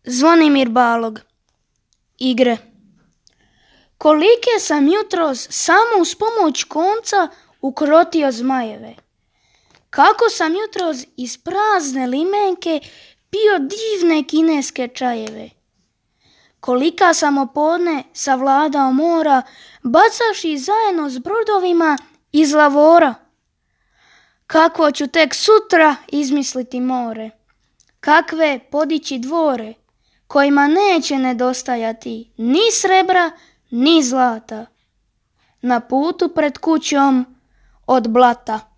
Zvonimir Balog. Igre. Kolike sam jutros samo uz pomoć konca ukrotio zmajeve. Kako sam jutros iz prazne limenke pio divne kineske čajeve. Kolika sam opodne savladao mora, bacavši zajedno s brodovima iz lavora. Kako ću tek sutra izmisliti more, kakve podići dvore, kojima neće nedostajati ni srebra, ni zlata, na putu pred kućom od blata.